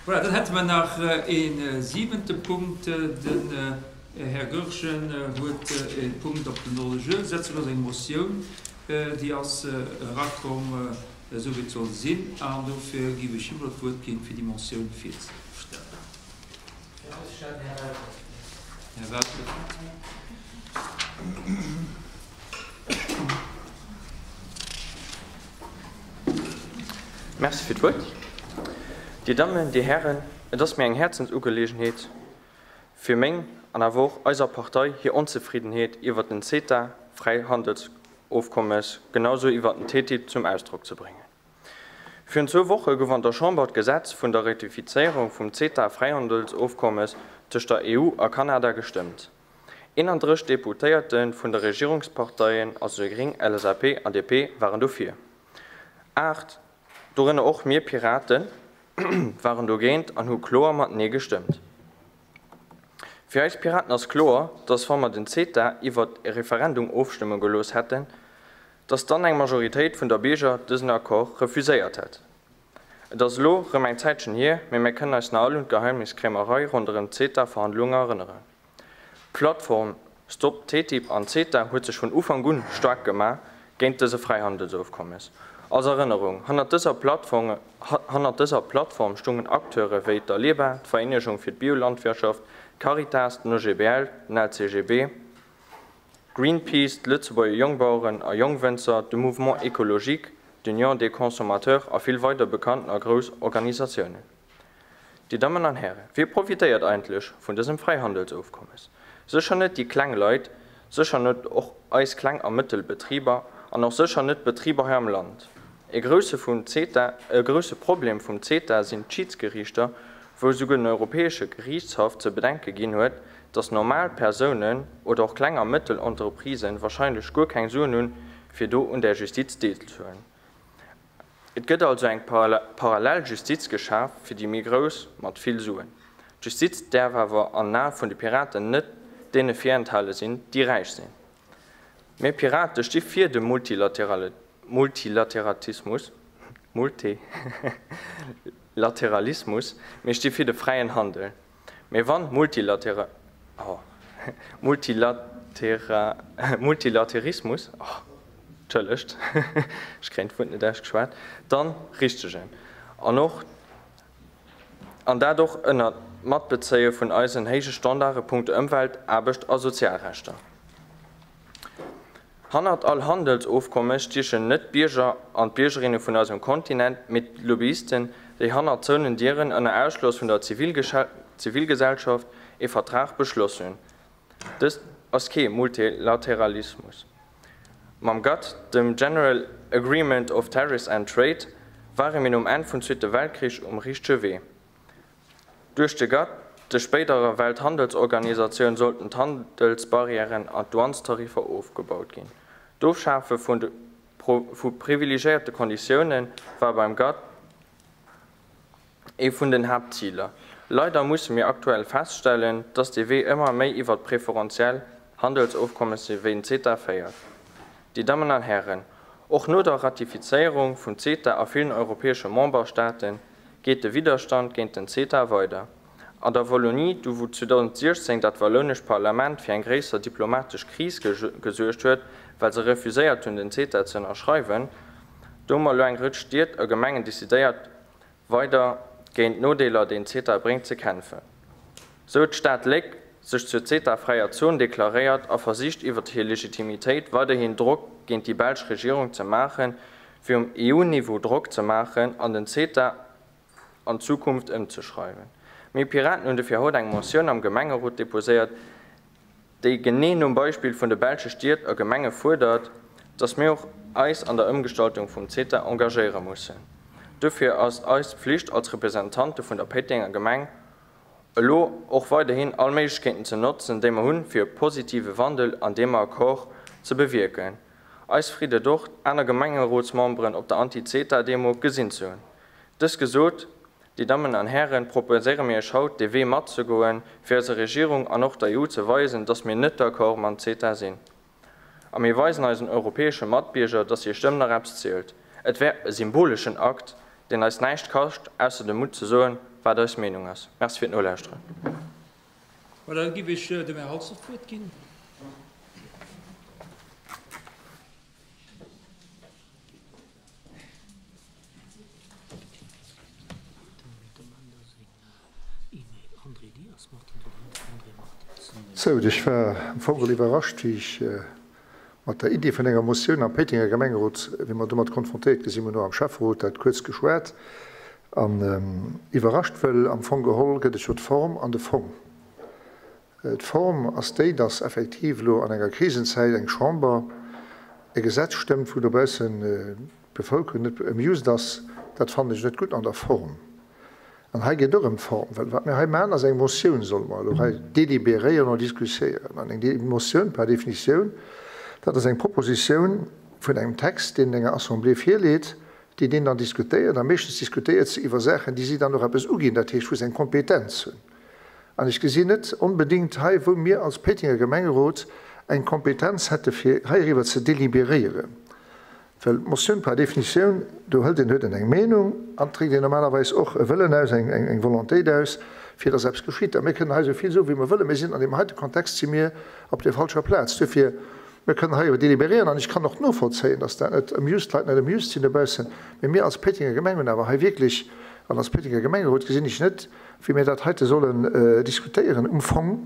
Voilà, dann hätte mer nach ee siwente Punkt. Den Här Goergen huet e Punkt op den Ordre du jour setze gelooss, eng Motioun, déi ass erakomm, esou wéi et soll sinn. An dofir géif ech him elo d'Wuert ginn, fir déi Motioun virzestellen. Här Welter. Merci fir d'Wuert. Dir Dammen, Dir Hären, et ass mir eng Häerzensugelegenheet, fir meng an awer och eiser Partei hir Onzefriddenheet iwwert den CETA-Fräihandelsofkommes genausou iwwert den TTIP zum Ausdrock ze bréngen. Virun zwou Woche gouf an der Chamber d'Gesetz vun der Ratifizéierung vum CETA-Fräihandelsofkommes tëscht der EU a Kanada gestëmmt. 31 Deputéierte vun de Regierungsparteien, also déi Gréng, LSAP an DP, waren dofir. 8, dorënner och mir Piraten, waren dogéint an hu kloer mat Nee gestëmmt. Fir eis Piraten ass kloer, dass wa mer den CETA iwwert e Referendum ofstëmme gelooss hätten, dass dann eng Majoritéit vun der Bierger dësen Accord refuséiert hätt. Et ass elo rëm eng Zäitchen hier, mee mir kënnen eis nach all un d'Geheimniskrämerei ronderëm d'CETA-Verhandlunge erënneren. D'Plattform Stop TTIP an CETA huet sech vun Ufank un staark gemaach géint dëse Fräihandelsofkommes. Als Erënnerung, Hannert dëser Plattform hannert dëser Plattform stungen Acteure wéi d'Aleba, d'Vereenegung fir d'Biolandwirtschaft, d'Caritas, den OGBL, den LCGB, Greenpeace, d'Lëtzebuerger Jongbaueren a Jongwënzer, de Mouvement Ecologique, d'Union des Consommateurs a vill weider bekannten a grouss Organisatiounen. Dir Dammen an Hären, wie profitéiert eigentlech vun dësem Fräihandelsofkommes? Sécher net déi kleng Leit, sécher net och eis kleng a mëttel Betriber an och sécher net d'Betriber hei am Land. E grousse vum CETA, e grousse Problem vum CETA sinn d'Schidsgeriichter, wou esouguer den Europäesche Geriichtshaff ze bedenke ginn huet, dass normal Persounen oder och kleng a mëttel Entreprisen wahrscheinlech guer keng Suen hunn, fir do un där Justiz deelzehuelen. Et gëtt also eng parallel Justiz geschaf fir déi méi Grouss mat vill Suen. D'Justiz däerf awer an den Ae vun de Piraten net deene virenthale sinn, déi räich sinn. Mir Pirate sti fir de Multilateratismus, Multilateralismus, mir sti fir de fräien Handel. Mee wann Multilatera, oh, Multilatera, Multilaterismus, oh, entschëllegt, ech kréien d'Wuert net ausgeschwat, dann richtegen. An och, an dat och ënner Matbezéie vun eisen héije Standarde punkto Ëmwelt, Aarbecht a Sozialrechter. Hannert all Handelsofkommes stiechen net d'Bierger an d'Biergerinne vun eisem Kontinent, mee d'Lobbyisten, déi hannert zouenen Dieren ënner Ausschloss vun der Zivilgesellschaft ee Vertrag beschloss hunn. Dëst ass kee Multilateralismus. Mam GATT, dem General Agreement of Tariffs and Trade, ware mir nom Enn vum Zweete Weltkrich um richtege Wee. Duerch de GATT, der spéiderer Welthandelsorganisatioun, sollten d'Handelsbarrièren an d'Douanestariffer ofgebaut ginn. D'Ofschafe vu privilegiéierte Konditioune war beim GATT ee vun den Haaptziler. Leider musse mir aktuell feststellen, dass dee Wee ëmmer méi iwwert preferentiell Handelsofkommesse wéi den CETA féiert. Dir Dammen an Hären, och no der Ratifizéierung vum CETA a villen europäesche Memberstaaten, geet de Widderstand géint den CETA weider. An der Wallonie, do wou 2016 dat wallounescht Parlament fir eng gréisser diplomatesch Kris gesuergt huet, well se refuséiert hunn den CETA ze ënnerschreiwen, do hu mer elo eng Rëtsch Stied a Gemengen decidéiert weider géint d'Nodeeler déi den CETA bréngt ze kämpfen. Sou huet d'Stad Léck sech zur CETA-fräier Zon deklaréiert a versicht iwwert hir Legitimitéit weiderhin Drock géint déi belsch Regierung ze maachen, fir um EU-Niveau Drock ze maachen an den CETA an Zukunft ëmzeschreiwen. Mir Piraten hunn dofir haut eng Motioun am Gemengerot deposéiert, déi genee nom Beispill vun de belsche Stied a Gemenge fuerdert, dass mir och eis an der Ëmgestaltung vum CETA engagéiere mussen. Dofir ass eis Pflicht als Representante vun der Péitenger Gemeng, elo och weiderhin all Méiglechkeeten ze notzen, déi mer hunn, fir e positive Wandel an deem Accord ze bewierken. Eis freet et och, aner Gemengerotsmemberen op der Anti-CETA-Demo gesinn ze hunn. Dëst gesot, Dir Dammen an Hären, proposéiere mir Iech haut, dee Wee matzegoen, fir eiser Regierung an och der EU ze weisen, dass mir net d'accord mam CETA sinn. A mir weisen eisen europäesche Matbierger, dass hir Stëmm nach eppes zielt. Et wär e symboleschen Akt, deen eis näischt kascht, ausser de Mutt ze soen,. wat eis Meenung ass. Merci fir d'Nolauschteren. Voilà, da giff ech dem Här Halsdorf d'Wuert ginn. Sou, ech war am Fong geholl iwwerrascht, wéi ech mat der Iddi vun enger Motioun am Péitenger Gemengerot, wéi mer domat konfrontéiert gi sinn, mir hunn och am Schäfferot dat kuerz geschwat, an iwwerrascht, wëll am Fong geholl gëtt et jo d'Form an de Fong. D'Form ass déi, dass effektiv elo an enger Krisenzäit eng Chamber e Gesetz stëmmt, wou dobaussen d'Bevëlkerung net amused ass. Dat fannen ech net gutt an der Form. An hei geet et och ëm d'Form, well wat mir hei maachen, ass eng Motioun solle mer elo hei délibéréieren oder diskutieren. An eng Motioun par définition, dat ass eng Propositioun vun engem Text, deen enger Assemblée virleet, déi deen dann diskutéiert. A meeschtens diskutéiert se iwwer Saachen, déi si dann och eppes uginn, dat heescht, wou se eng Kompetenz hunn. An ech gesinn net onbedéngt hei, wou mir als Péitenger Gemengerot eng Kompetenz hätte fir heiriwwer ze délibéréieren. Well d'Motioun par définition, do hëlt een, huet een eng Meenung an dréckt een normalerweis och e Wëllen aus, eng, eng Volontéit aus, fir dass eppes geschitt. A mir kënnen hei esou vill soen, wéi mer wëllen, mir sinn an deem heite Kontext si mir op der falscher Plaz. Duerfir, mir kënnen hei jo délibérieren an ech kann och novollzéien, dass dat net amused, d'Leit net amused sinn dobaussen, mee mir als Péitenger Gemeng hunn awer hei wierklech, an als Péitenger Gemengerot gesinn ech net, wéi mir dat heite sollen diskutéieren um Fong,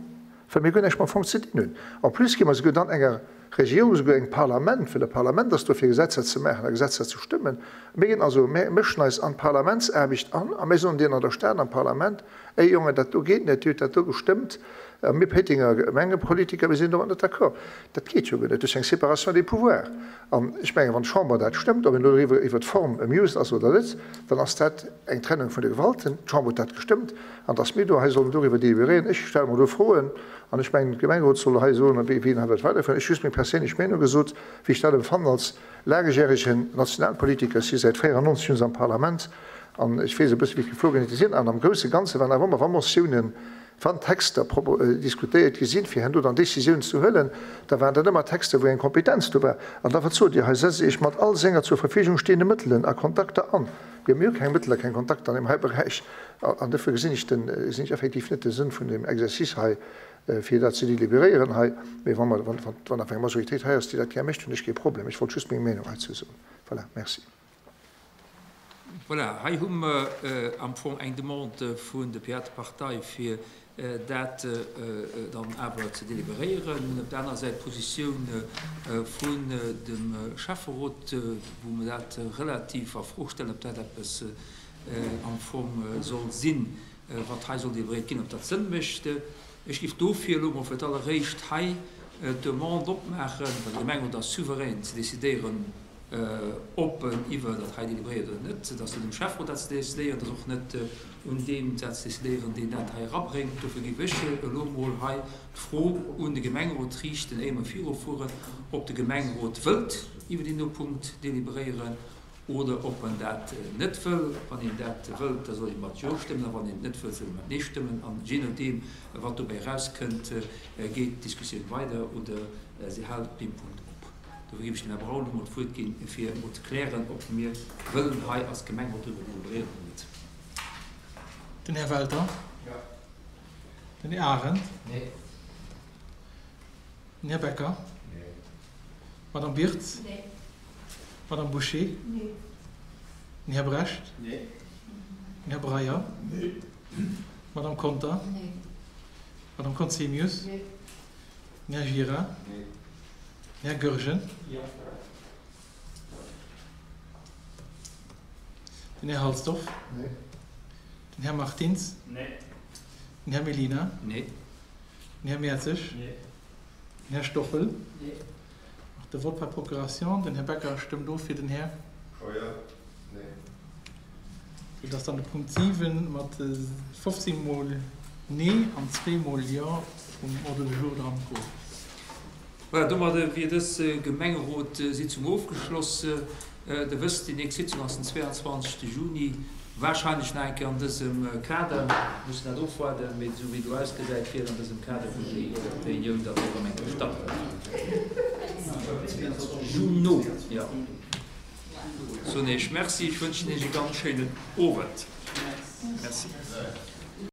well mir guer näischt mam Fong ze dinn hunn. En plus gi mer souguer dann enger Regierung, souguer engem Parlament, well e Parlament ass do fir Gesetzer ze maachen a Gesetzer ze stëmmen, mir ginn also, mir mëschen eis an d'Parlamentsaarbecht an a mir soen deenen an der Stad am Parlament, Ey Jongen, dat do geet net, Dir hutt dat do gestëmmt a mir Péitenger Gemengepolitiker, mir sinn domat net d'accord. Dat geet jo guer net, duerch eng Séparation des pouvoirs. An ech mengen, wann d'Chamber dat stëmmt, ob een elo doriwwer, iwwert d'Form amused ass oder net, dann ass dat eng Trennung vun de Gewalten. D'Chamber huet dat gestëmmt. An dass mir do hei sollen doriwwer délibéréieren, ech stelle mer do Froen. An ech mengen, de Gemengerot soll hei soen, wéi en hei wëllt weiderfueren. Ech hu just meng perséinlech Meenung gesot, wéi ech dat empfannen als laangjäregen Nationalpolitiker. Ech si säit 94 schonns am Parlament an ech weess e bësse wéi d'Geflogenheete sinn. An am grousse Ganze waren awer ëmmer, wa Motiounen, Wann Texter diskutéiert gi sinn, fir herno dann Décisiounen ze huelen, da waren dat ëmmer Texter, wou eng Kompetenz do war. An da, wat sot Dir hei? Setzt Iech mat all senger zur Verfügung stehende Mëttelen a Kontakter an. Jo, mir hu keng Mëttel a keng Kontakter an deem hei Beräich. An dofir gesinn ech den, gesinn ech effektiv net de Sënn vun deem Exercice hei, fir dat ze délibéréieren hei. Mee wa mer, wann, wann awer eng Majoritéit hei ass, déi dat gär mécht, hunn ech kee Problem. Ech wollt just meng Meenung heizou soen. Voilà, merci. Voilà, hei hu mer am Fong eng Demande vun der Piratepartei, fir dat dann awer ze deliberéieren. Mir hunn op der anerer Säit d'Positioun vun dem Schäfferot, wou mer dat relativ a Fro stellen, ob dat eppes am Fong soll sinn, wat hei soll deliberéiert ginn, ob dat Sënn mécht. Ech géif dofir elo mol fir d'alleréischt hei d'Demande opmaachen, well de Gemengerot ass souverän ze decidéieren, ob en iwwer dat hei délibéréiert oder net. Et ass net um Schäfferot dat ze decidéieren, et ass och net un deem dat ze decidéieren, deen dat hei erabréngt. Dofir géif ech elo mol hei d'Fro un de Gemengerot riichten, éier mer virufueren, ob de Gemengerot wëllt iwwer deen do Punkt délibéréieren oder ob en dat net wëll. Wann een dat wëllt, da soll ee mat Jo stëmmen, a wann een et net wëllt, soll ee mat Nee stëmmen. An jee nodeem, wat dobäi erauskënnt, geet d'Diskussioun weider oder se hält op deem Punkt op. Dofir géif ech dem Här Braun elo mol d'Wuert ginn, fir emol ze klären, ob mir wëllen hei als Gemengerot driwwer deliberéieren oder net. Den Här Welter? Jo. Den Här Arendt? Nee. Den Här Becker? Nee. D'Madame Birtz? Nee. D'Madame Bouché? Nee. Den Här Brecht? Nee. Den Här Breyer? Nee. D'Madame Conter? Nee. D'Madame Conzemius? Nee. Den Här Gira? Nee. Den Här Goergen? Jo. Den Här Halsdorf? Nee. Den Här Martins? Nee. Den Här Mellina? Nee. Den Här Mertzig? Nee. Den Här Stoffel? Nee. Och de Vote par procuration. Den Här Becker stëmmt of fir den Här. Scheuer? Nee. Sou dass dann de Punkt 7 mat 15 mol Nee an zwee mol Jo um Ordre du jour dran gouf. Voilà, domadde wier dës Gemengerotssitzung ofgeschloss. Der wësst, déi nächst Sitzung ass den 22. Juni, wahrscheinlech nach eng Kéier an dësem Kader. Mir mussen dat ofwaarden, mee esou wéi et elo ausgesäit, wier et an dësem Kader, wou déi Reunioun dann och erëm eng Kéier stattfënnt. Juno, jo. Soen Iech Merci, ech wënschen Iech e ganz schéinen Owend. Merci.